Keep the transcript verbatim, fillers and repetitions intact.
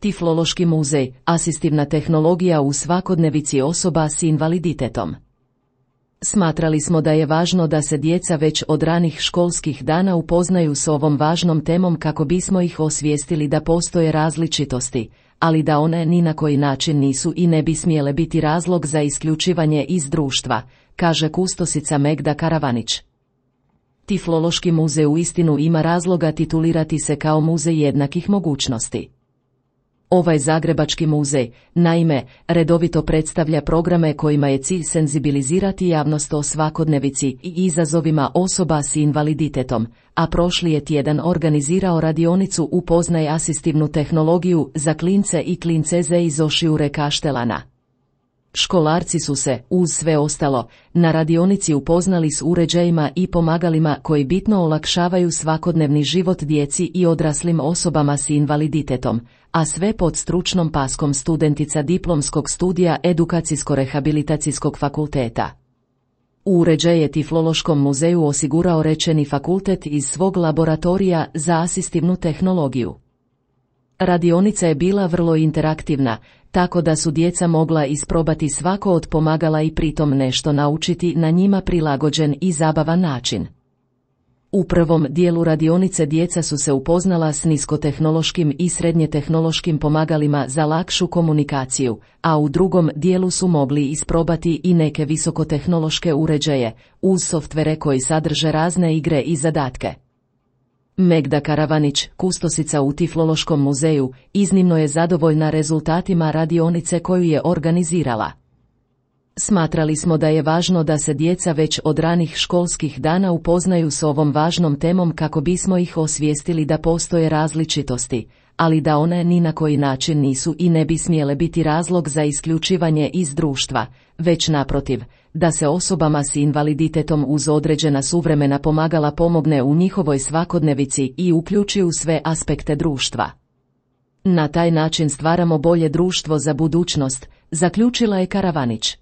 Tiflološki muzej, asistivna tehnologija u svakodnevici osoba s invaliditetom. Smatrali smo da je važno da se djeca već od ranih školskih dana upoznaju s ovom važnom temom kako bismo ih osvijestili da postoje različitosti, ali da one ni na koji način nisu i ne bi smjele biti razlog za isključivanje iz društva, kaže kustosica Megda Karavanić. Tiflološki muzej uistinu ima razloga titulirati se kao muzej jednakih mogućnosti. Ovaj zagrebački muzej, naime, redovito predstavlja programe kojima je cilj senzibilizirati javnost o svakodnevici i izazovima osoba s invaliditetom, a prošli je tjedan organizirao radionicu Upoznaj asistivnu tehnologiju za klince i klinceze iz Ošiure Kaštelana. Školarci su se, uz sve ostalo, na radionici upoznali s uređajima i pomagalima koji bitno olakšavaju svakodnevni život djeci i odraslim osobama s invaliditetom, a sve pod stručnom paskom studentica diplomskog studija Edukacijsko-rehabilitacijskog fakulteta. Uređaj je Tiflološkom muzeju osigurao rečeni fakultet iz svog laboratorija za asistivnu tehnologiju. Radionica je bila vrlo interaktivna, tako da su djeca mogla isprobati svako od pomagala i pritom nešto naučiti na njima prilagođen i zabavan način. U prvom dijelu radionice djeca su se upoznala s niskotehnološkim i srednjetehnološkim pomagalima za lakšu komunikaciju, a u drugom dijelu su mogli isprobati i neke visokotehnološke uređaje, uz softvere koji sadrže razne igre i zadatke. Megda Karavanić, kustosica u Tiflološkom muzeju, iznimno je zadovoljna rezultatima radionice koju je organizirala. Smatrali smo da je važno da se djeca već od ranih školskih dana upoznaju s ovom važnom temom kako bismo ih osvijestili da postoje različitosti, ali da one ni na koji način nisu i ne bi smjele biti razlog za isključivanje iz društva, već naprotiv, da se osobama s invaliditetom uz određena suvremena pomagala pomogne u njihovoj svakodnevici i uključi u sve aspekte društva. Na taj način stvaramo bolje društvo za budućnost, zaključila je Karavanić.